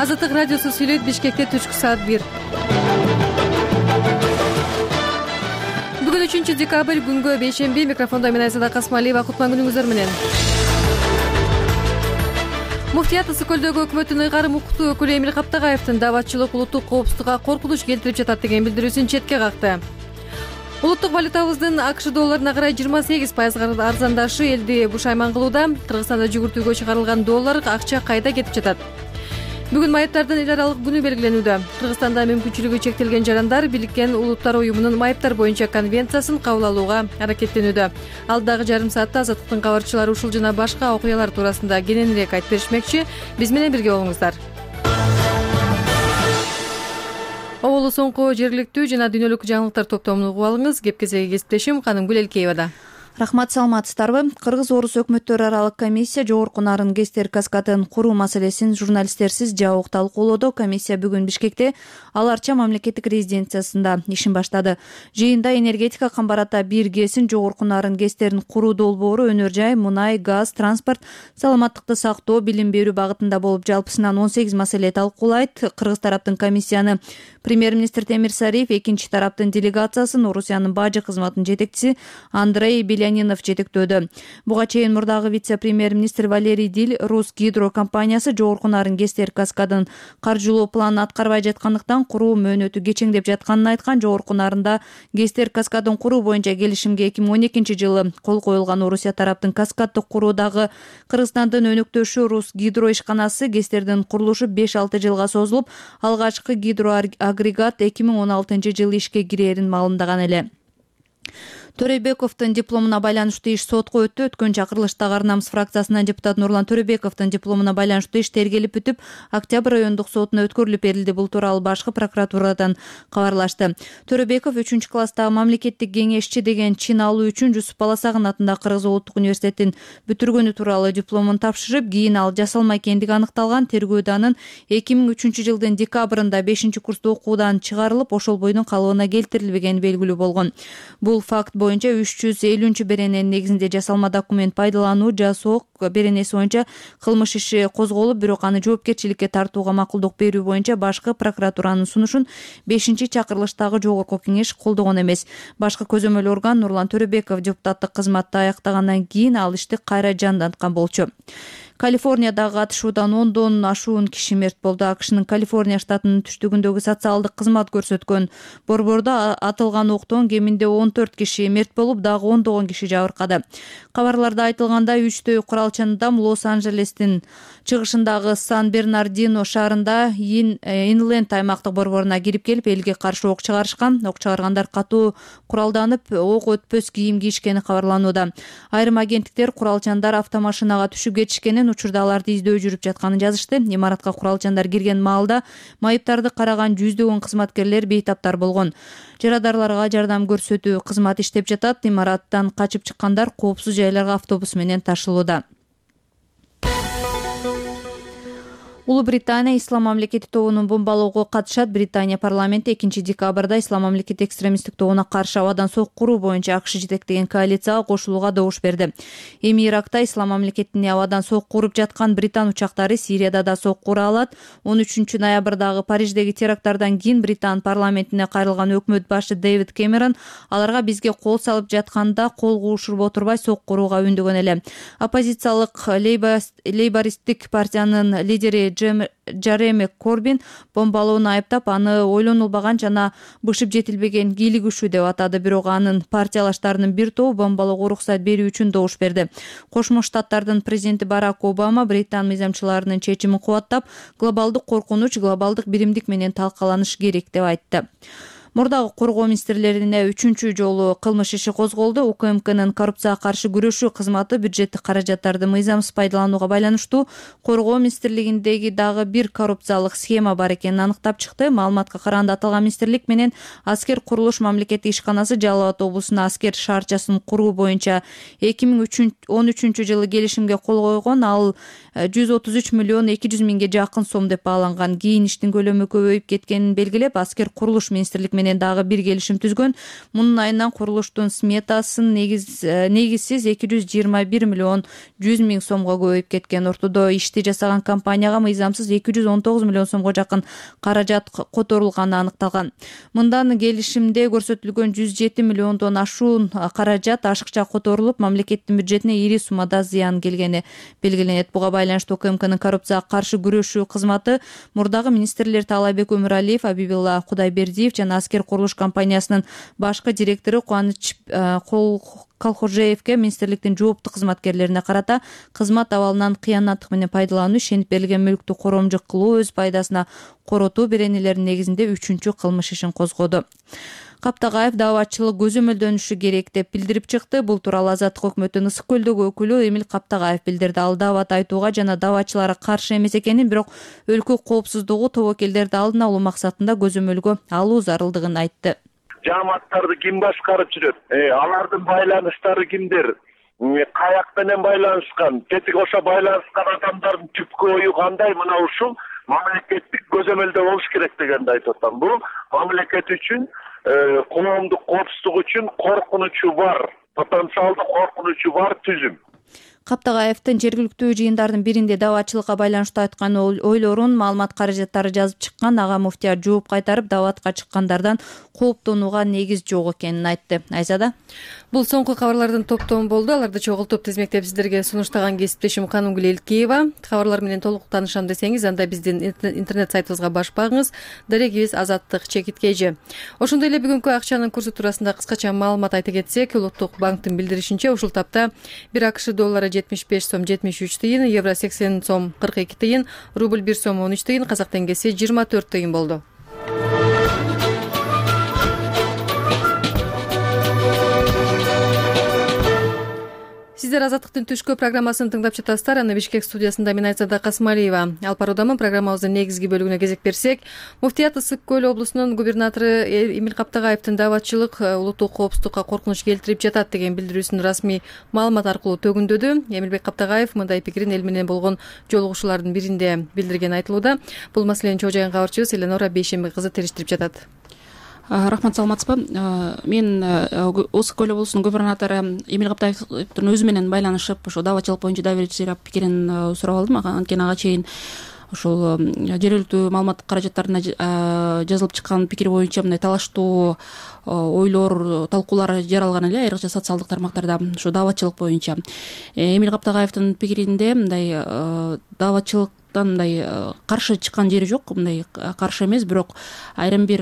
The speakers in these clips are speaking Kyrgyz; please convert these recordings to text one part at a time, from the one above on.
Азаттык радиосу сүйлөйт. Бишкекте түшкү саат 1. Бүгүн 3 декабрь күнгө бейшемби. Микрофондо мен Айзада Касмалиева. Кутман күнүңүздөр менен. Муфтият Ысык көлдөгү өкмөттүн ыйгарым укуктуу өкүлү Эмил Каптагаевдин дааватчылык улуттук коопсуздукка коркунуч келтирип жатат деген билдирүүсүн четке какты. Улуттук валютабыздын АКШ долларына карай 28% арзандашы элди бушайман кылууда. Кыргызстанда жүгүртүүгө чыгарылган доллар акча кайда кетип жатат? Бүгүн майыптардын эл аралык күнү белгиленүүдө. Кыргызстанда мүмкүнчүлүгү чектелген жарандар Бириккен Улуттар уюмунун майыптар боюнча конвенциясын кабыл алууга аракеттенүүдө. Алдагы жарым саатта Азаттыктын кабарчылары ушул жана башка окуялар туурасында кененирээк айтып беришмекчи. Биз менен бирге болуңуздар. Оболу соңку жергиликтүү жана дүйнөлүк жаңылыктар топтомун угуп алыңыз. Кеп-кезеги кесиптешим Канымгүл Элкеевада. Рахмат, саламатсыздарбы? Кыргыз-орус өкмөттөр аралык комиссия жогорку нарын ГЭСтер каскадын куруу маселесин журналисттерсиз жабык талкуулоодо. Комиссия бүгүн Бишкекте Ал Арча мамлекеттик резиденциясында ишин баштады. Жыйында энергетика камбарата 1 ГЭСин жогорку нарын ГЭСтерин куруу долбоору өнөр жай, мунай, газ, транспорт, саламаттыкты сактоо, билим берүү багытында болуп, жалпысынан 18 маселе талкуулайт. Кыргыз тараптын комиссияны премьер-министр Темир Сариев, экинчи тараптын делегациясын Орусиянын бажы кызматынын жетекчиси Андрей Белянинов жетектөөдө. Буга чейин мурдагы вице-премьер-министр Валерий Диль Рус гидро компаниясы жогорку нарын ГЭСтер каскадын каржылоо планын аткарбай жаткандыктан куруу мөөнөтү кечеңдеп жатканын айткан. Жогорку нарында ГЭСтер каскадын куруу боюнча келишимге 2012 жылы кол коюлган. Орусия тараптын каскаддык куруудагы Кыргызстандын өнөктөшү Рус гидро ишканасы ГЭСтердин курулушу 5-6 жылга созулуп, алгачкы гидроагрегат 2016 жылы ишке кирерин маалымдаган эле. Төрөбековдун дипломуна байланыштуу иш сотко өттү. Өткөн чакырылыштагы Ар намыс фракциясынан депутат Нурлан Төрөбековдун дипломуна байланыштуу иш тергелип бүтүп, Октябрь райондук сотуна өткөрүлүп берилди. Бул тууралуу башкы прокуратурадан кабарлашты. Төрөбеков 3-класстагы мамлекеттик кеңешчи деген чин алуу үчүн Жусуп Баласагын атындагы Кыргыз улуттук университетин бүтүргөнү тууралуу дипломун тапшырып, кийин ал жасалма экендиги аныкталган. Тергөөдө анын 2003 жылдын декабрында 5-курста окуудан чыгарылып, ошол бойдун калыбына келтирилбегени белгилүү болгон. Бул факт боюнча 350 берененин негизинде жасалма документ пайдалануу жасоо беренеси боюнча кылмыш иши козголуп, бирок аны жоопкерчиликке тартууга макулдук берүү боюнча башкы прокуратуранын сунушун 5-чакырылыштагы жогорку кеңеш колдогон эмес. Башкы көзөмөл орган Нурлан Төрөбеков депутаттык кызматты аяктагандан кийин ал ишти кайра жанданткан болчу. Калифорниядагы атышуудан 10дон ашуун киши мерт болду. АКШнын Калифорния штатынын түштүгүндөгү социалдык кызмат көрсөткөн борбордо атылган октон кеминде 14 киши мерт болуп, дагы 10 киши жабыркады. Кабарларда айтылгандай, 3 куралчан адам Лос-Анджелестин чыгышындагы Сан-Бернардино шаарында Инленд аймактык борборуна кирип келип, элге каршы ок чыгарышкан. Ок чыгаргандар катуу куралданып, ок өтпөс кийим кийишкени кабарланууда. Айрым агенттиктер куралчандар автомашинага түшүп кетишкенин, учурда аларды издөө жүрүп жатканын жазышты. Имаратка куралчандар кирген маалда майыптарды караган жүздөгөн кызматкерлер бейтаптар болгон. Жарадарларга жардам көрсөтүү кызматы иштеп жатат. Имараттан качып чыккандар коопсуз жайларга автобус менен ташылууда. Улуу Британия Ислам мамлекети тобунун бомбалоого катышат. Британия парламенти 2 декабрда Ислам мамлекети экстремисттик тобуна каршы абадан сок куруу боюнча АКШ жетектеген коалицияга кошулууга добуш берди. Эми Иракта Ислам мамлекетине абадан сок куруп жаткан британ учактары Сирияда да сок кура алат. 13 ноябрдагы Париждеги теракттардан кийин Британ парламентине кайрылган өкмөт башы Дэвид Кэмерон аларга бизге кол салып жатканда кол куушуруп отурбай сок курууга үндөгөн эле. Оппозициялык лейбористтик партиянын лидери Джереми Корбин бомбалоону айыптап, аны ойлонулбаган жана бышып жетилбеген кийлигишүү деп атады. Бирок анын партиялаштарынын бир тобу бомбалоого уруксат берүү үчүн добуш берди. Кошмо Штаттардын президенти Барак Обама Британ мыйзамчыларынын чечимин кубаттап, глобалдык коркунуч глобалдык биримдик менен талкаланыш керек деп айтты. Мурдагы коргоо министрлерине 3-чү жолу кылмыш иши козголду. УКМКнын коррупцияга каршы күрөшүү кызматы бюджеттик каражаттарды мыйзамсыз пайдаланууга байланыштуу коргоо министрлигиндеги дагы бир коррупциялык схема бар экенин аныктап чыкты. Маалыматка караганда аталган министрлик менен аскер курулуш мамлекеттик ишканасы Жалал Абад облусуна аскер шаарчасын куруу боюнча 2013 жылы келишимге кол койгон. Ал 133 миллион 200 миңге жакын сом деп бааланган. Кийин иштин көлөмү көбөйүп кеткенин белгилеп, аскер курулуш министрлик менен дагы бир келишим түзгөн. Мунун айынан курулуштун сметасын негизсиз 221 миллион 100 миң сомго көбөйүп кеткен. Ортодо ишти жасаган компанияга мыйзамсыз 219 миллион сомго жакын каражат которулганы аныкталган. Мындан келишимде көрсөтүлгөн 107 миллиондон ашуун каражат ашыкча которулуп, мамлекеттин бюджетине ири суммада зыян келгени белгиленет. Буга байланыштуу УКМКнын коррупцияга каршы күрөшүү кызматы мурдагы министрлер Таалайбек Өмүралиев, Абибилла Кудайбердиев жана Аскер курулуш компаниясынын башкы директору Кубаныч Калхожеевке министрликтин жооптуу кызматкерлерине карата кызмат абалынан кыянаттык менен пайдалануу, ишенип берилген мүлктү коромжук кылуу, өз пайдасына коротуу беренелеринин негизинде 3-чү кылмыш ишин козгоду. Каптагаев дааватчылык көзөмөлдөнүшү керек деп билдирип чыкты. Бул тууралуу Азаттык өкмөттүн Ысык көлдөгү өкүлү Эмил Каптагаев билдирди. Ал даават айтууга жана дааватчыларга каршы эмес экенин, бирок өлкө коопсуздугу, тобокелдерди алдын алуу максатында көзөмөлгө алуу зарылдыгын айтты. Жааматтарды ким башкарып жүрөт? Алардын байланыштары кимдер? Каяк менен байланышкан? Тетиги ошо байланышкан адамдардын түпкү ою кандай? Мына ушул мамлекеттик көзөмөлдө болуш керек дегенди айтып атам. Бул мамлекет үчүн, коомдук коопсуздук үчүн коркунучу бар, потенциалдуу коркунучу бар түзүм. Каптагаевдин жергиликтүү жыйындардын биринде дааватчылыкка байланыштуу айткан ойлорун, маалымат каражаттары жазып чыккан ага муфтия жооп кайтарып, дааватка чыккандардан кооптонууга негиз жок экенин айтты. Айзада, бул соңку кабарлардын топтому болду. Аларды чогултуп тизмектеп сиздерге сунуштаган кесиптешим Канунгүл Элкеева. Кабарлар менен толук таанышам десеңиз, анда биздин интернет сайтыбызга басып багыңыз. Дарегибиз Азаттык ЧКТ. Ошондой эле бүгүнкү акчанын курсу туурасында кыскача маалымат айта кетсек, Улуттук банктын билдиришинче ушул тапта 1 АКШ доллары 75 сом 73 тыйын, евро 80 сом 42 тыйын, рубль 1 сом 13 тыйын, казак теңгеси 24 тыйын болду. Сиздер Азаттыктын түшкү программасын тыңдап жатасыздар. Аны Бишкек студиясында мен Айзада Касмалиева алып баруудамын. Программабыздын негизги бөлүгүнө кезек берсек, Муфтият Ысык көл облусунун губернатору Эмил Каптагаевдин дааватчылык улуттук коопсуздукка коркунуч келтирип жатат деген билдирүүсүн расмий маалымат аркылуу төгүндөдү. Эмилбек Каптагаев мындай пикирин эл менен болгон жолугушуулардын биринде билдиргени айтылууда. Бул маселени чогуу жайган кабарчыбыз Эленора Бейшембек кызы териштирип жатат. Рахмат, саламатсызбы? Мен Ысык көл облусунун губернатору Эмил Каптаевдин өзү менен байланышып, ошо дааватчылык боюнча доверительный пикирин сурап алдым. Анткени ага чейин ошол жергиликтүү маалымат каражаттарына жазылып чыккан пикир боюнча мындай талаштуу ойлор, талкуулар жаралган эле айрыкча социалдык тармактарда ошо дааватчылык боюнча. Эмил Каптагаевдин пикиринде мындай дааватчылыктан мындай каршы чыккан жери жок, мындай каршы эмес, бирок айрым бир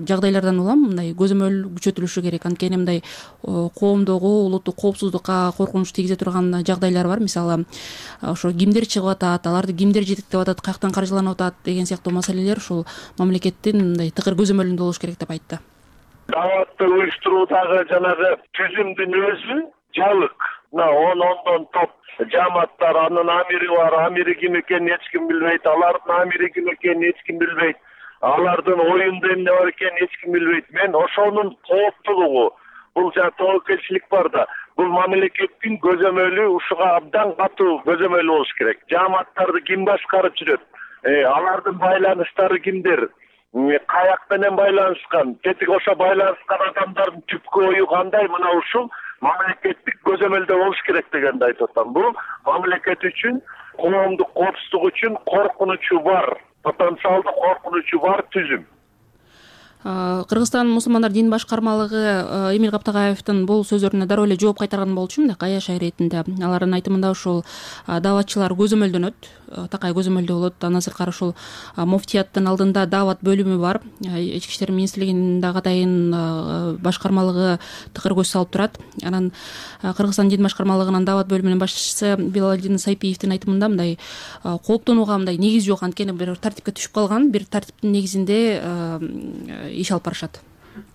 жагдайлардан улам мындай көзөмөл күчөтүлүшү керек. Анткени мындай коомдогу улуттук коопсуздукка коркунуч тийгизе турган жагдайлар бар. Мисалы, ошо кимдер чыгып атат, аларды кимдер жетектеп атат, каяктан каржыланып атат деген сыяктуу маселелер ушул мамлекеттин мындай тыкыр көзөмөлүндө болуш керек деп айтты. Дааватты уюштуруудагы жанагы түзүмдүн өзү жалык. Ондон топ жааматтар, анын амири бар, амири ким экенин эч ким билбейт, алардын амири ким экенин эч ким билбейт, алардын оюнда эмне бар экенин эч ким билбейт. Мен ошонун кооптуулугу, бул жана тобокелчилик бар да, бул мамлекеттин көзөмөлү ушуга абдан катуу көзөмөлү болуш керек. Жааматтарды ким башкарып жүрөт? Алардын байланыштары кимдер? Каяк менен байланышкан? Тетиги ошо байланышкан адамдардын түпкү ою кандай? Мына ушул мамлекеттик көзөмөлдө болуш керек дегенди айтып атам. Бул мамлекет үчүн, коомдук коопсуздук үчүн коркунучу бар, потенциалдуу коркунучу бар түзүм. Кыргызстан мусулмандар дин башкармалыгы Эмил Каптагаевдин бул сөздөрүнө дароо эле жооп кайтарган болчу, мындай каяш иретинде. Алардын айтымында ушул дааватчылар көзөмөлдөнөт, такай көзөмөлдө болот. Андан сырткары ушул муфтияттын алдында даават бөлүмү бар. Ички иштер министрлигинин дагы атайын башкармалыгы тыкыр көз салып турат. Анан Кыргызстан дин башкармалыгынын даават бөлүмүнүн башчысы Билалдин Сайпиевдин айтымында мындай кооптонууга мындай негиз жок. Анткени бир тартипке түшүп калган, бир тартиптин негизинде иш алып барышат.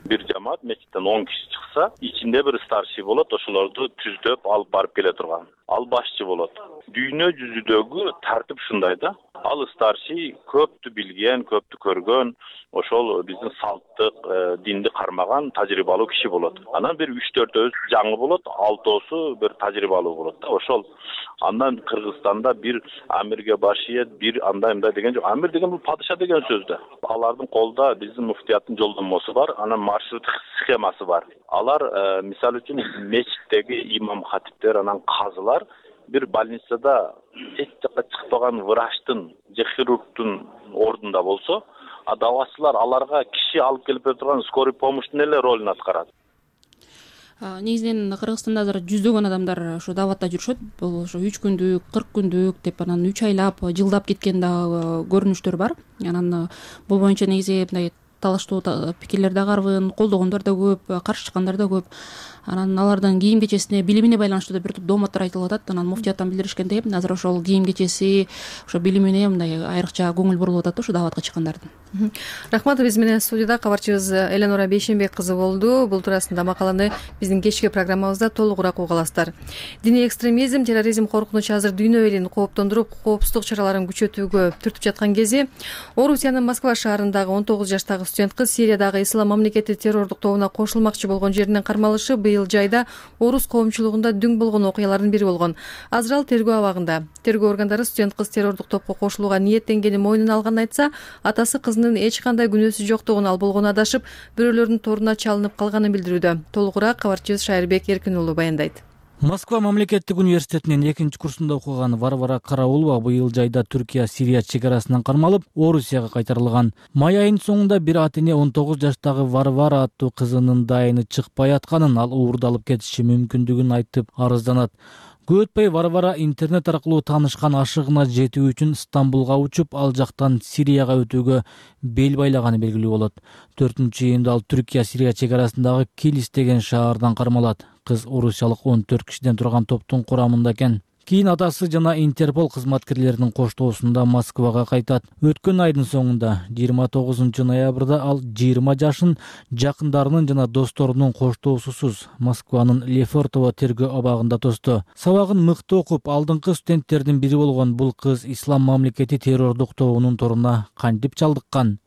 Бир жамаат мечиттен 10 киши чыкса, ичинде бир старший болот, ошолорду түздөп алып барып келе турган. Ал башчы болот. Дүйнө жүзүдөгү тартип ушундай да. Ал старший көптү билген, көптү көргөн, ошол биздин салттык, динди кармаган тажрыйбалуу киши болот. Анан бир 3-4 жаңы болот, 6 бир тажрыйбалуу болот да. Ошол андан Кыргызстанда бир амирге баш ийет, бир андай деген жок. Амир деген бул падыша деген сөз да. Алардын колдо биздин муфтияттын жолдомосу бар, анан маршрут схемасы бар. Алар мисалы үчүн мечиттеги имам хатиптер, анан казылар бир больницада эч жакка чыкпаган врачтын же хирургдун ордунда болсо, давачылар аларга киши алып келип турган скорый помощьтун эле ролун аткарат. Негизинен Кыргызстанда азыр жүздөгөн адамдар ошо даватта жүрүшөт. Бул ошо 3 күндүк, 40 күндүк деп анан 3 айлап, жылдап кеткен дагы көрүнүштөр бар. Анан бул боюнча негизи мындай талаштуу пикирлер да карбын, колдогондор да көп, каршы чыккандар да көп. Анан алардын кийим кечесине, билимине байланыштуу бир топ дооматтар айтылып атат. Анан муфтияттан билдиришкендей, азыр ошол кийим кечеси, ошо билимине мындай айрыкча көңүл бурулуп атат да ошо даватка чыккандардын. Рахмат. Биз менен студияда кабарчыбыз Эленора Бейшенбек кызы болду. Бул туурасында макаланы биздин кечки программабызда толугураак уга аласыздар. Диний экстремизм, терроризм коркунучу азыр дүйнө элин кооптондуруп, коопсуздук чараларын күчөтүүгө түртүп жаткан кези Орусиянын Москва шаарындагы 19 жаштагы студент кыз Сириядагы Ислам мамлекети террордук тобуна кошулмакчы болгон жеринен кармалышы быйыл жайда орус коомчулугунда дүң болгон окуялардын бири болгон. Азыр ал тергөө абагында. Тергөө органдары студент кыз террордук топко кошулууга ниеттенгени мойнуна алганын айтса, атасы кызынын эч кандай күнөөсү жоктугун, ал болгону адашып, бирөөлөрдүн торуна чалынып калганын билдирүүдө. Толугураак кабарчыбыз Шайырбек Эркин уулу баяндайт. Москва мамлекеттик университетинин 2-курсунда окуган Варвара Караулова быйыл жайда Түркия-Сирия чек арасынан кармалып, Орусияга кайтарылган. Май айынын соңунда бир ата-эне 19 жаштагы Варвара аттуу кызынын дайыны чыкпай атканын, ал уурдалып кетиши мүмкүндүгүн айтып арызданат. Көп өтпөй Варвара интернет аркылуу таанышкан ашыгына жетүү үчүн Стамбулга учуп, ал жактан Сирияга өтүүгө бел байлаганы белгилүү болот. 4-июнда ал Түркия-Сирия чек арасындагы Килис деген шаардан кармалат. Кыз орусиялык 14 кишиден турган топтун курамында экен. Кийин атасы жана Интерпол кызматкерлеринин коштоосунда Москвага кайтат. Өткөн айдын соңунда 29 ноябрда ал 20 жашын жакындарынын жана досторунун коштоосусуз Москванын Лефортово тергөө абагында тосту. Сабагын мыкты окуп, алдыңкы студенттердин бири болгон бул кыз Ислам мамлекети террордук тобунун торуна кантип чалдыккан?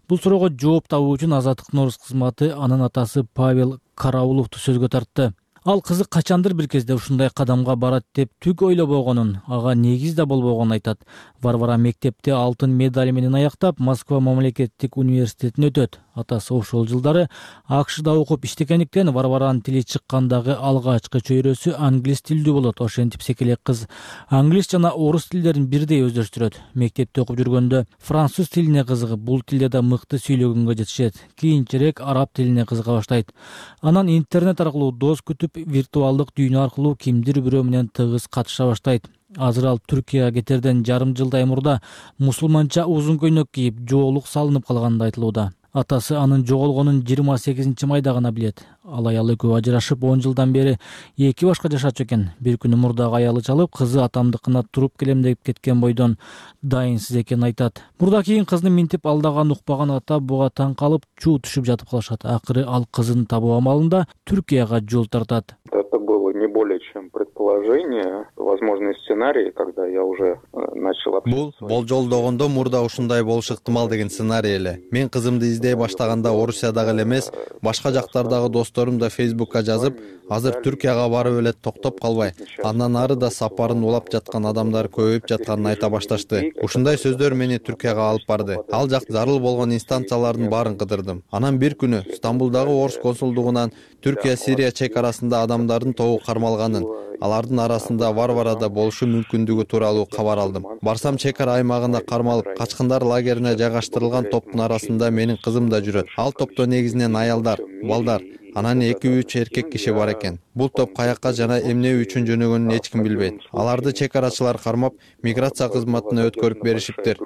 Бул суроого жооп табуу үчүн Азаттыктын орус кызматы анын атасы Павел Карауловду сөзгө тартты. Ал кызы качандыр бир кезде ушундай кадамга барат деп түк ойлобогонун, ага негиз да болбогонун айтат. Варвара мектепте алтын медаль менен аяктап, Москва мамлекеттик университетин өтөт. Атасы ошол жылдары АКШда окуп иштегендиктен Варваранын тили чыккандагы алгачкы чөйрөсү англис тилдүү болот. Ошентип секелек кыз англис жана орус тилдерин бирдей өздөштүрөт. Мектепте окуп жүргөндө француз тилине кызыгып, бул тилде да мыкты сүйлөгөнгө жетишет. Кийинчерээк араб тилине кызыга баштайт. Анан интернет аркылуу дос күтүп, виртуалдык дүйнө аркылуу кимдир бирөө менен тыгыз катыша баштайт. Азыр ал Түркияга кетерден жарым жылдай мурда мусулманча узун көйнөк кийип, жоолук салынып калганы айтылууда. Атасы анын жоголгонун 28 майда гана билет. Ал аялы экөө ажырашып 10 жылдан бери 2 башка жашачу экен. Бир күнү мурдагы аялы чалып, кызы атамдыкына туруп келем деп кеткен бойдон дайынсыз экенин айтат. Мурда кийин кызны минтип алдаган укпаган ата буга таң калып, чуу түшүп жатып калышат. Акыры ал кызын табуу амалында Түркияга жол тартат. Это было не более чем предположение, возможный сценарий, когда я уже начал общаться. Бул болжолдогондо мурда ушундай болушу ыктымал деген сценарий эле. Мен кызымды издей баштаганда Орусиядагы эле эмес, башка жактардагы досторум да Фейсбукка жазып, азыр Түркияга барып эле токтоп калбай, андан ары да сапарын улап жаткан адамдар көбөйүп жатканын айта башташты. Ушундай сөздөр мени Түркияга алып барды. Ал жак зарыл болгон инстанциялардын баарын кыдырдым. Анан бир күнү Стамбулдагы орус консулдугунан Түркия-Сирия чек арасында адамдардын тобу кармалганын, алардын арасында Варвара да болушу мүмкүндүгү тууралуу кабар алдым. Барсам чек ара аймагында кармалып, качкындар лагерине жайгаштырылган топтун арасында менин кызым да жүрөт. Ал топто негизинен аялдар, балдар, анан 2-3 эркек киши бар экен. Бул топ каякка жана эмне үчүн жөнөгөнүн эч ким билбейт. Аларды чек арачылар кармап, миграция кызматына өткөрүп беришиптир.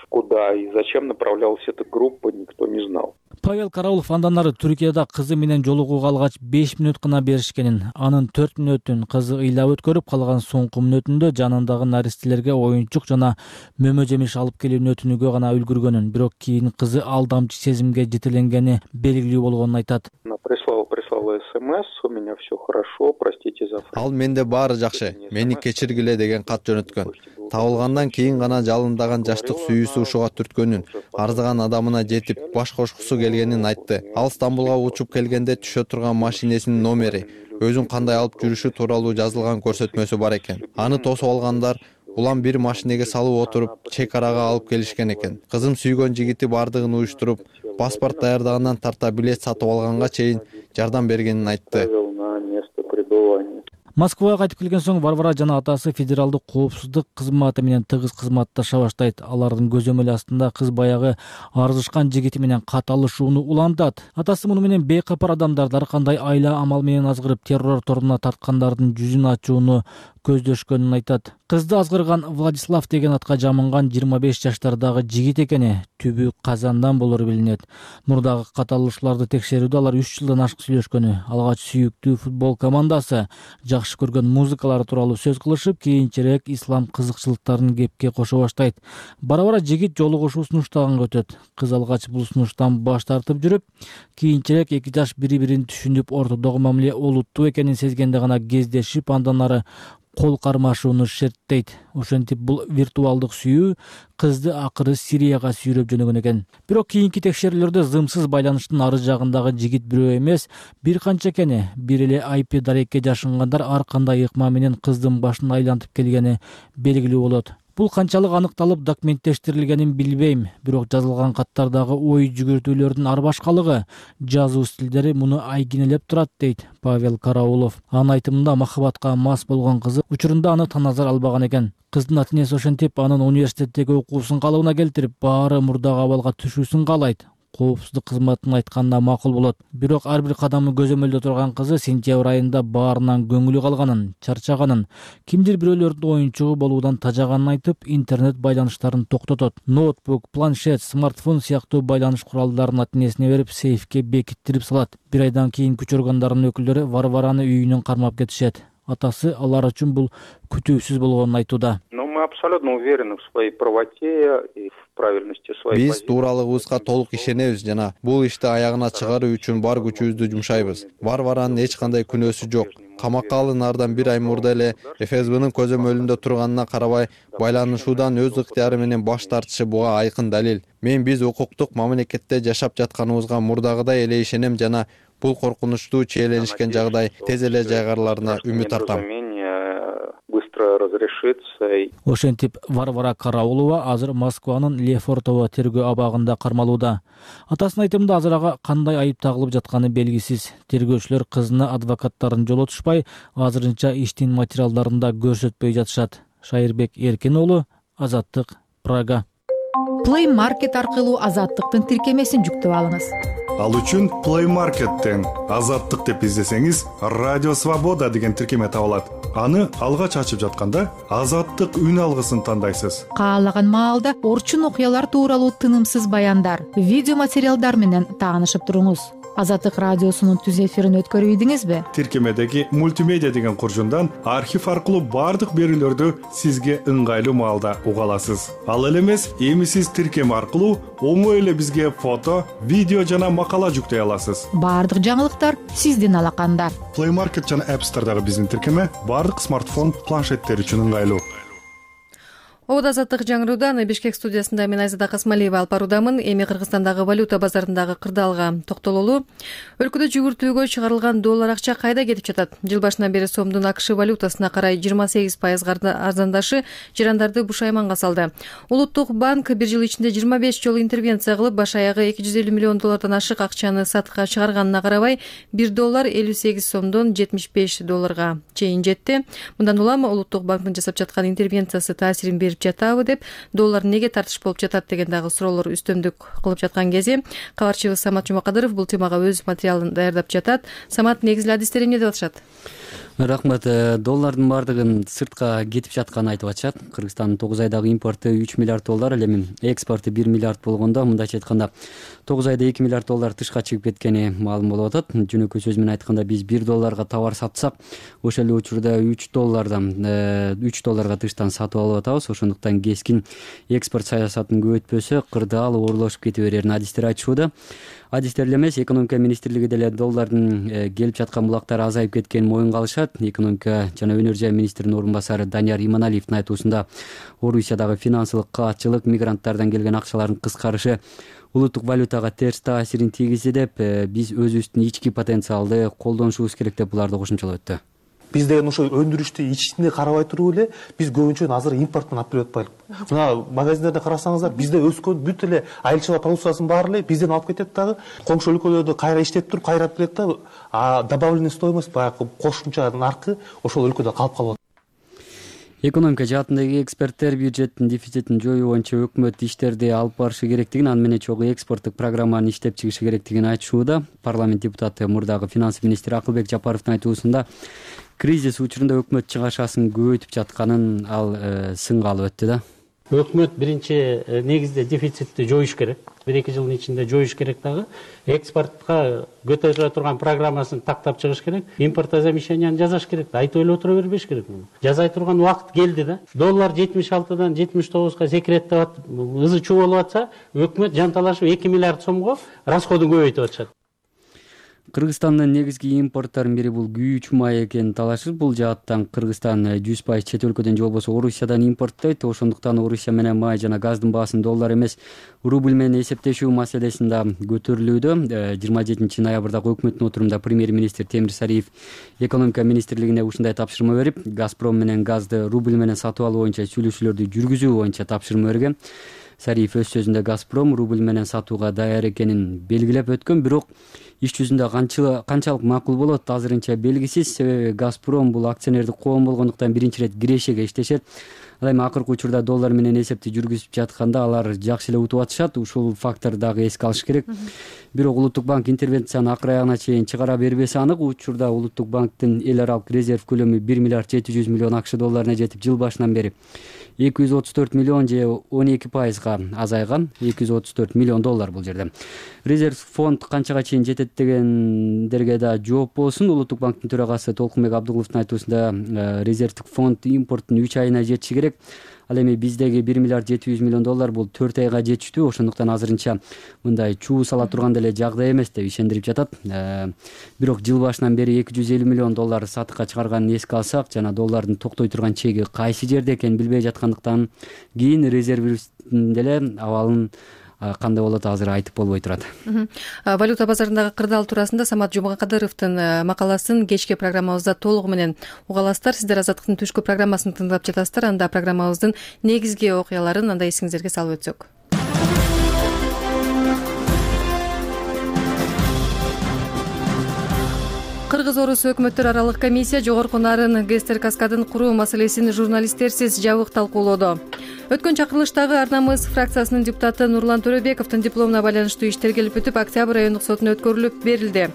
Куда и зачем направлялась эта группа, никто не знал. Павел Караулов андан ары Түркияда кызы менен жолугууга алгач 5 мүнөт гана беришкенин, анын 4 мүнөтүн кызы ыйлап өткөрүп, калган соңку мүнөтүндө жанындагы наристелерге оюнчук жана мөмө жемиш алып келүүнү өтүнүүгө гана үлгүргөнүн, бирок кийин кызы алдамчы сезимге жетеленгени белгилүү болгонун айтат. Прислала СМС, у меня все хорошо, простите за... Ал менде баары жакшы, мени кечиргиле деген кат жөнөткөн. Табылгандан кийин гана жалындаган жаштык сүйүүсү ушуга түрткөнүн, арзыган адамына жетип баш кошкусу келгенин айтты. Ал Стамбулга учуп келгенде түшө турган машинесинин номери, өзүн кандай алып жүрүшү тууралуу жазылган көрсөтмөсү бар экен. Аны тосуп алгандар улам бир машинеге салып отуруп, чек арага алып келишкен экен. Кызым сүйгөн жигити бардыгын уюштуруп, паспорт даярдагандан тарта билет сатып алганга чейин жардам бергенин айтты. Москвага кайтып келген соң Варвара жана атасы федералдык коопсуздук кызматы менен тыгыз кызматташа баштайт. Алардын көзөмөлү астында кыз баягы арызышкан жигити менен кат алышууну улантат. Атасы муну менен бейкапар адамдарды ар кандай айла амал менен азгырып террор торуна тарткандардын жүзүн ачууну көздөшкөнүн айтат. Кызды азгырган Владислав деген атка жамынган 25 жаштардагы жигит экени түбү Казандан болору билинет. Мурдагы кат алышууларды текшерүүдө алар 3 жылдан ашык сүйлөшкөнү, алгач сүйүктүү футбол командасы, жакшы көргөн музыкалары тууралуу сөз кылышып, кийинчерээк ислам кызыкчылыктарын кепке кошо баштайт. Бара-бара жигит жолугушуу сунуштаганга өтөт. Кыз алгач бул сунуштан баш тартып жүрүп, кийинчерээк эки жаш бири-бирин түшүнүп, ортодогу мамиле олуттуу экенин сезгенде гана кездешип, андан ары кол кармашууну шерттейт. Ошентип бул виртуалдык сүйүү кызды акыры Сирияга сүйрөп жөнөгөн экен. Бирок кийинки текшерүүлөрдө зымсыз байланыштын ары жагындагы жигит бирөө эмес, бир канча экени, бир эле IP дарекке жашынгандар ар кандай ыкма менен кыздын башын айлантып келгени белгилүү болот. Бул канчалык аныкталып документтештирилгенин билбейм, бирок жазылган каттардагы ой жүгүртүүлөрдүн ар башкалыгы, жазуу стилдери муну айгинелеп турат, дейт Павел Караулов. Анын айтымында махабатка мас болгон кызы учурунда аны таназар албаган экен. Кыздын ата-энеси ошентип анын университеттеги окуусун калыбына келтирип, баары мурдагы абалга түшүүсүн каалайт. Коопсуздук кызматынын айтканына макул болот. Бирок ар бир кадамы көзөмөлдө турган кызы сентябрь айында баарынан көңүлү калганын, чарчаганын, кимдир бирөөлөрдүн оюнчугу болуудан тажаганын айтып, интернет байланыштарын токтотот. Ноутбук, планшет, смартфон сыяктуу байланыш куралдарын ата-энесине берип, сейфке бекиттирип салат. Бир айдан кийин күч органдарынын өкүлдөрү Варвараны үйүнөн кармап кетишет. Атасы алар үчүн бул күтүүсүз болгонун айтууда. Мы абсолютно уверены в своей правоте и в правильности своей позиции. Биз тууралыгыбызга толук ишенебиз жана бул ишти аягына чыгаруу үчүн бар күчүбүздү жумшайбыз. Варваранын эч кандай күнөөсү жок. Камакка алынаардан бир ай мурда эле ФСБнын көзөмөлүндө турганына карабай, байланышуудан өз ыктыяры менен баш тартышы буга айкын далил. Мен биз укуктук мамлекетте жашап жатканыбызга мурдагыдай эле ишенем жана бул коркунучтуу чиеленишкен жагдай тез эле жайгарыларына үмүт артам. Ошентип Варвара Караулова азыр Москванын Лефортово тергөө абагында кармалууда. Атасынын айтымында азыр ага кандай айып тагылып жатканы белгисиз. Тергөөчүлөр кызына адвокаттарын жолотушпай, азырынча иштин материалдарында көрсөтпөй жатышат. Шайырбек Эркин уулу, Азаттык, Прага. Play Market аркылуу Азаттыктын тиркемесин жүктөп алыңыз. Ал үчүн Play Market'тен Азаттык деп издесеңиз, Радио Свобода деген тиркеме табылат. Аны алгач ачып жатканда Азаттык үн алгысын тандайсыз. Каалаган маалда орчун окуялар тууралуу тынымсыз баяндар, видео материалдар менен таанышып туруңуз. Азаттык радиосунун түз эфирин өткөрүп ийдиңизби? Тиркемедеги мультимедиа деген куржундан архив аркылуу бардык берүүлөрдү сизге ыңгайлуу маалда уга аласыз. Ал эле эмес, эми сиз тиркеме аркылуу оңой эле бизге фото, видео жана макала жүктөй аласыз. Бардык жаңылыктар сиздин алаканда. Play Market жана App Store'дагы биздин тиркеме бардык смартфон, планшеттер үчүн ыңгайлуу. Обода Азаттык жаңыруудан Бишкек студиясында мен Айзада Касмалиева алып баруудамын. Эми Кыргызстандагы валюта базарындагы кырдаалга токтололу. Өлкөдө жүгүртүүгө чыгарылган доллар акча кайда кетип жатат? Жыл башынан бери сомдун АКШ валютасына карай 28% арзандашы жарандарды бушайманга салды. Улуттук банк бир жыл ичинде 25 жолу интервенция кылып, баш аягы 250 миллион доллардан ашык акчаны сатыкка чыгарганына карабай, 1 доллар 58 сомдон 75 долларга чейин жетти. Мындан улам Улуттук банктын жасап жаткан интервенциясы таасирин берип берип жатабы деп, доллар неге тартыш болуп жатат деген дагы суроолор үстөмдүк кылып жаткан кези кабарчыбыз Самат Жумакадыров бул темага өз материалын даярдап жатат. Самат, негизги адистери эмне деп атышат? Рахмат. Доллардын баардыгын сыртка кетип жатканын айтып атышат. Кыргызстандын 9 айдагы импорту 3 миллиард доллар, ал эми экспорту 1 миллиард болгондо, мындайча айтканда 9 айда 2 миллиард доллар тышка чыгып кеткени маалым болуп атат. Жөнөкөй сөз менен айтканда, биз 1 долларга товар сатсак, ошол эле учурда 3 долларга тыштан сатып алып атабыз. Ошондуктан кескин экспорт саясатын көбөйтпөсө, кырдаал оорлошуп кете берерин адистер айтышууда. Адистер эле эмес, экономика министрлиги деле доллардын келип жаткан булактары азайып кеткенин моюнга алышат. Экономика жана өнөр жай министринин орун басары Данияр Иманалиевдин айтуусунда, Орусиядагы финансылык каатчылык, мигранттардан келген акчалардын кыскарышы улуттук валютага терс таасирин тийгизди деп, биз өзүбүздүн ички потенциалды колдонушубуз керек деп буларды кошумчалап өттү. Биз деген ошо өндүрүштү ичине карабай туруп эле биз көбүнчө азыр импорттон алып келип атпайлык. Мына магазиндерде карасаңыздар, бизде өскөн бүт эле айылчылык продукциясынын баары эле бизден алып кетет дагы, коңшу өлкөлөрдө кайра иштеп туруп кайрап берет да, добавленный стоимость, баягы кошумча наркы ошол өлкөдө калып калып атат. Экономика жаатындагы эксперттер бюджеттин дефицитин жоюу боюнча өкмөт иштерди алып барышы керектигин, аны менен чогуу экспорттук программаны иштеп чыгышы керектигин айтышууда. Парламент депутаты, мурдагы финанс министри Акылбек Жапаровдун айтуусунда, кризис учурунда өкмөт чыгашасын көбөйтүп жатканын ал сынга алып өттү да. Өкмөт биринчи негизде дефицитти жоюш керек. 1-2 жылдын ичинде жоюш керек дагы. Экспортко көтөрүлө турган программасын тактап чыгыш керек. Импортозамещенияны жасаш керек. Айтып эле отура бербеш керек. Жасай турган убакыт келди да. Доллар 76дан 79га секирет деп атып, ызы чуу болуп атса, өкмөт жанталашып 2 миллиард сомго расходун көбөйтүп атышат. Кыргызстандын негизги импортторунун бири бул күйүүчү май экенин талашып, бул жааттан Кыргызстан 100% чет өлкөдөн же болбосо Орусиядан импорттойт. Ошондуктан Орусия менен май жана газдын баасын доллар эмес, рубль менен эсептешүү маселесин да көтөрүлүүдө. 27 ноябрдагы өкмөттүн отурумда премьер-министр Темир Сариев экономика министрлигине ушундай тапшырма берип, Газпром менен газды рубль менен сатып алуу боюнча сүйлөшүүлөрдү жүргүзүү боюнча тапшырма берген. Сариев өз сөзүндө Газпром рубль менен сатууга даяр экенин белгилеп өткөн, бирок иш жүзүндө канчалык макул болот азырынча белгисиз. Себеби Газпром бул акционердик коом болгондуктан биринчи ирет кирешеге иштешет. Ал эми акыркы учурда доллар менен эсепти жүргүзүп жатканда алар жакшы эле утуп атышат. Ушул фактор дагы эске алыш керек. Бирок Улуттук банк интервенцияны акыр аягына чейин чыгара бербеси анык. Учурда Улуттук банктын эл аралык резерв көлөмү 1 миллиард 700 миллион акш долларына жетип, жыл башынан бери 234 миллион же 12%га азайган. 234 миллион доллар бул жерде. Резерв фонд канчага чейин жетет дегендерге да жооп болсун. Улуттук банктын төрагасы Толкунбек Абдуловдун айтуусунда, резервдик фонд импорттун 3 айына жетиши керек. Ал эми биздеги 1 миллиард 700 миллион доллар бул 4 айга жетиштүү. Ошондуктан азырынча мындай чуу сала турган деле жагдай эмес деп ишендирип жатат. Бирок жыл башынан бери 250 миллион доллар сатыкка чыгарганын эске алсак, жана доллардын токтой турган чеги кайсы жерде экенин билбей жаткандыктан кийин резервдин деле абалын кандай болот азыр айтып болбой турат. Валюта базарындагы кырдаал туурасында Самат Жумакадыровдун макаласын кечки программабызда толугу менен уга аласыздар. Сиздер Азаттыктын түшкү программасын тыңдап жатасыздар. Анда программабыздын негизги окуяларын анда эсиңиздерге салып өтсөк. Кыргыз-Орус өкмөттөр аралык комиссия жогорку нарын ГЭСтер каскадын куруу маселесин журналисттерсиз жабык талкуулоодо. Өткөн чакырылыштагы Ар-Намыс фракциясынын депутаты Нурлан Төрөбековдун дипломуна байланыштуу иштер келип бүтүп, Октябрь райондук сотуна өткөрүлүп берилди.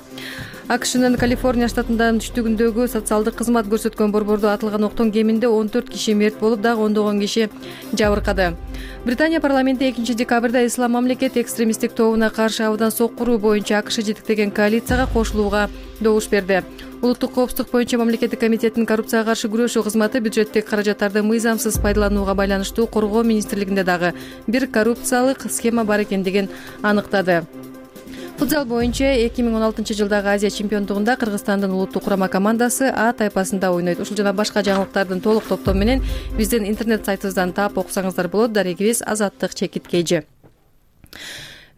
АКШнын Калифорния штатынын түштүгүндөгү социалдык кызмат көрсөткөн борбордо атылган октон кеминде 14 киши мерт болуп, дагы ондогон киши жабыркады. Британия парламенти 2 декабрда Ислам мамлекет экстремисттик тобуна каршы абдан соккуруу боюнча АКШ жетектеген коалицияга кошулууга добуш берди. Улуттук коопсуздук боюнча мамлекеттик комитеттин коррупцияга каршы күрөшүү кызматы бюджеттик каражаттарды мыйзамсыз пайдаланууга байланыштуу коргоо министрлигинде дагы бир коррупциялык схема бар экендигин аныктады. Футзал боюнча 2016 жылдагы Азия чемпиондугунда Кыргызстандын улуттук курама командасы А тайпасында ойнойт. Ушул жана башка жаңылыктардын толук топтому менен биздин интернет сайтыбыздан таап окусаңыздар болот. Дарегибиз Азаттык чекиткейжи.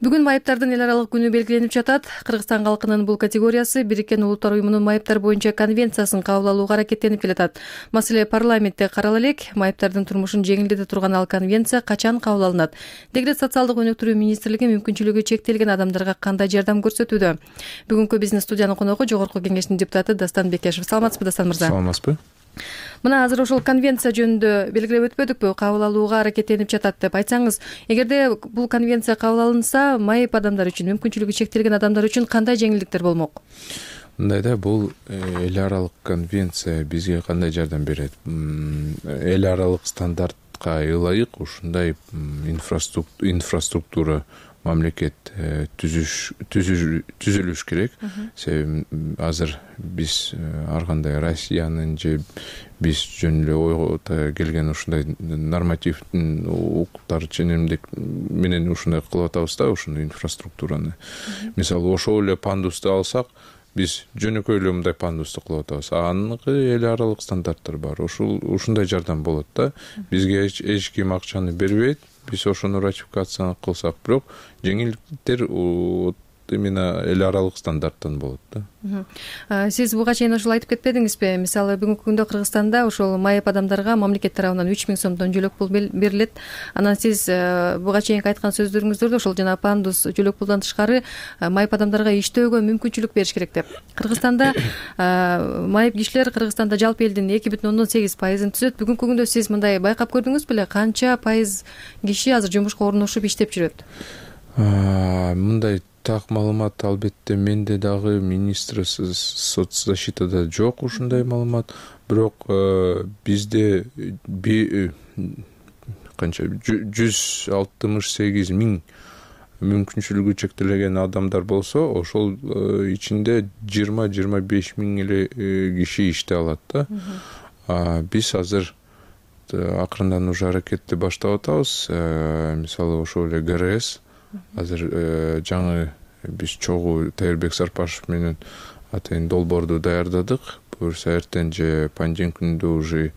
Бүгүн майыптардын эл аралык күнү белгиленип жатат. Кыргызстан калкынын бул категориясы Бириккен Улуттар уюмунун майыптар боюнча конвенциясын кабыл алууга аракеттенип келатат. Маселе парламентте карала элек. Майыптардын турмушун жеңилдете турган ал конвенция качан кабыл алынат? Дегрет социалдык өнүктүрүү министрлиги мүмкүнчүлүгү чектелген адамдарга кандай жардам көрсөтүүдө? Бүгүнкү биздин студиянын коногу Жогорку Кеңештин депутаты Дастан Бекешев. Саламатсызбы, Дастан мырза? Саламатсызбы. Мына азыр ошол конвенция жөнүндө белгилеп өтпөдүкпү, кабыл алууга аракеттенип жатат деп айтсаңыз, эгерде бул конвенция кабыл алынса, майып адамдар үчүн, мүмкүнчүлүгү чектелген адамдар үчүн кандай жеңилдиктер болмок? Мындай да, бул эл аралык конвенция бизге кандай жардам берет? Эл аралык стандартка ылайык ушундай инфраструктура мамлекет түзүлүш керек. Себеби азыр биз ар кандай Россиянын же биз жөн эле ойго келген ушундай нормативдин укуктар ченемдик менен ушундай кылып атабыз да, ушундай инфраструктураны. Мисалы, ошол эле пандусту алсак, биз жөнөкөй эле мындай пандусту кылып атабыз. Аныкы эл аралык стандарттар бар. Ушундай жардам болот да. Бизге эч ким акчаны бербейт. Биз ошону ратификацияны кылсак, бирок жеңилдиктер именно эл аралык стандарттан болот да. Сиз буга чейин ошол айтып кетпедиңизби? Мисалы, бүгүнкү күндө Кыргызстанда ошол майып адамдарга мамлекет тарабынан 3000 сомдон жөлөк пул берилет. Анан сиз буга чейинки айткан сөздөрүңүздөрдө ошол жана пандус жөлөк пулдан тышкары майып адамдарга иштөөгө мүмкүнчүлүк бериш керек деп. Кыргызстанда майып кишилер Кыргызстанда жалпы элдин 2,8% түзөт. Бүгүнкү күндө сиз мындай байкап көрдүңүз беле, канча пайыз киши азыр жумушка орношуп иштеп жүрөт? Мындай так маалымат албетте менде дагы, министр соцзащитада жок ушундай маалымат. Бирок бизде канча 168 000 мүмкүнчүлүгү чектелген адамдар болсо, ошол ичинде 20-25 000 эле киши иштей алат да. Биз азыр акырындан уже аракетти баштап атабыз. Мисалы, ошол эле ГРС азыр жаңы биз чогуу Тайырбек Сарпашев менен атайын долбоорду даярдадык. Буюрса эртең же панден күндө уже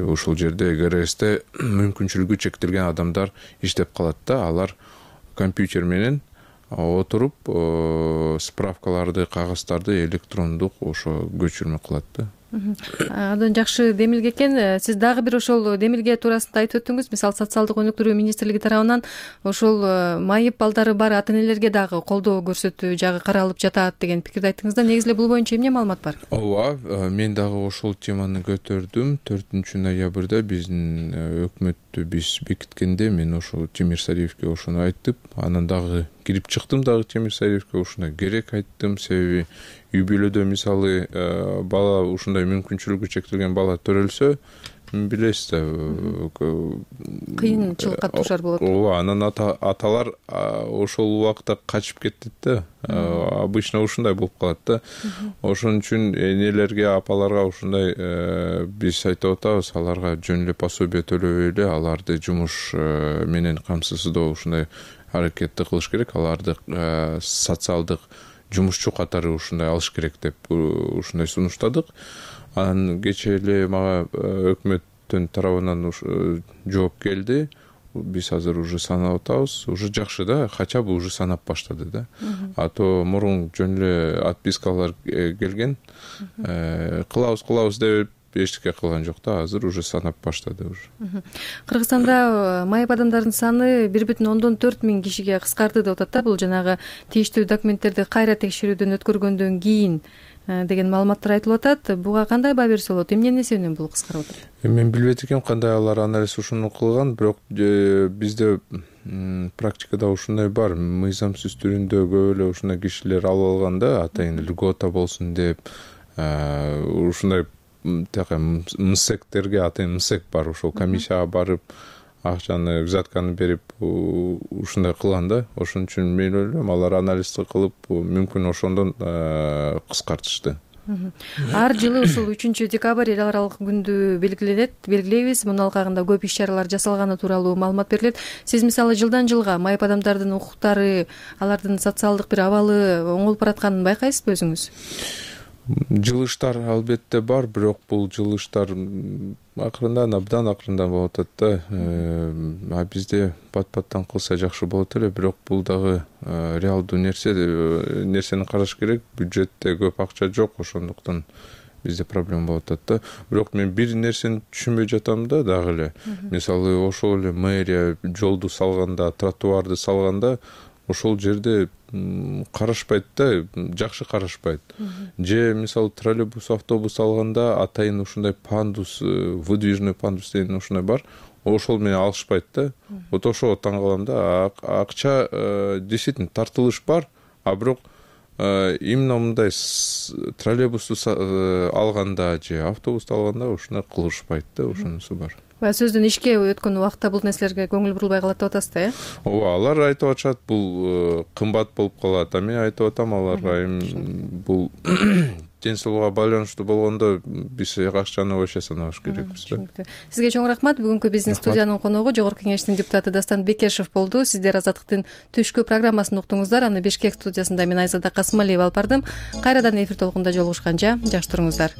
ошол жерде ГРСте мүмкүнчүлүгү чектелген адамдар иштеп калат да. Алар компьютер менен отуруп справкаларды, кагаздарды электрондук ошо көчүрмө кылат да. Андан жакшы демилге экен. Сиз дагы бир ошол демилге туурасында айтып өттүңүз. Мисалы, социалдык өнүктүрүү министрлиги тарабынан ошол майып балдары бар ата-энелерге дагы колдоо көрсөтүү жагы каралып жатат деген пикирди айттыңыз да. Негизи эле бул боюнча эмне маалымат бар? Ооба, мен дагы ошол теманы көтөрдүм. 4 ноябрда биздин өкмөттү биз бекиткенде мен ошол Темир Сариевке ошону айттым. Анан дагы кирип чыктым дагы Темир Сариевке ошондой керек айттым. Себеби үй бүлөдө мисалы бала ушундай мүмкүнчүлүгү чектелген бала төрөлсө, билесиз да, кыйынчылыкка дуушар болот. Ооба, анан аталар ошол убакта качып кетет да. Обычно ушундай болуп калат да. Ошон үчүн энелерге, апаларга ушундай биз айтып атабыз, аларга жөн эле пособие төлөбөй эле аларды жумуш менен камсыздоо ушундай аракетти кылыш керек. Аларды социалдык жумушчу катары ушундай алыш керек деп ушундай сунуштадык. Анан кечээ эле мага өкмөттүн тарабынан жооп келди. Биз азыр уже санап атабыз. Уже жакшы да, хотя бы уже санап баштады да. А то мурун жөн эле отпискалар келген. Кылабыз деп эчтеке кылган жок да. Азыр уже санап баштады уже. Кыргызстанда майып адамдардын саны 1,4 миң кишиге кыскарды деп атат да. Бул жанагы тийиштүү документтерди кайра текшерүүдөн өткөргөндөн кийин деген маалыматтар айтылып атат. Буга кандай баа берсе болот? Эмне себептен бул кыскарып атат? Мен билбейт экенм кандай алар анализ ушуну кылган, бирок бизде практикада ушундай бар. Мыйзамсыз түрүндө көп эле ушундай кишилер алып алган да, атайын льгота болсун деп, ушундай МСЭКтерге, атайын МСЭК бар, ошол комиссияга барып акчаны, взятканы берип ушундай кылган да. Ошон үчүн мен ойлойм, алар анализди кылып мүмкүн ошондон кыскартышты. Ар жылы ушул 3 декабрь эл аралык күндү белгилейбиз. Мунун алкагында көп иш чаралар жасалганы тууралуу маалымат берилет. Сиз мисалы жылдан жылга майып адамдардын укуктары, алардын социалдык бир абалы оңолуп баратканын байкайсызбы өзүңүз? Жылыштар албетте бар, бирок бул жылыштар абдан акырындан болуп атат да. Бизде пат-паттан кылса жакшы болот эле, бирок бул дагы реалдуу нерсени караш керек. Бюджетте көп акча жок, ошондуктан бизде проблема болуп атат да. Бирок мен бир нерсени түшүнбөй жатам да дагы эле. Мисалы, ошол эле мэрия жолду салганда, тротуарды салганда, ошол жерде карашпайт да, жакшы карашпайт. Же мисалы троллейбус, автобус алганда атайын ушундай пандус, выдвижный пандус деген ушундай бар, ошол менен алышпайт да. Вот ошого таң калам да. Акча действительно тартылыш бар, а бирок именно мындай троллейбусту алганда же автобусту алганда ушундай кылышпайт да, ошонусу бар. Баягы сөздөн ишке өткөн убакта бул нерселерге көңүл бурулбай калат деп атасыз да, э? Ооба, алар айтып атышат, бул кымбат болуп калат. А мен айтып атам аларга, бул ден соолукка байланыштуу болгондо биз акчаны вообще санабаш керекпиз да. Сизге чоң рахмат. Бүгүнкү биздин студиянын коногу Жогорку Кеңештин депутаты Дастан Бекешев болду. Сиздер Азаттыктын түшкү программасын уктуңуздар. Аны Бишкек студиясында мен Айзада Касымалиева алып бардым. Кайрадан эфир толкунда жолугушканча жакшы туруңуздар.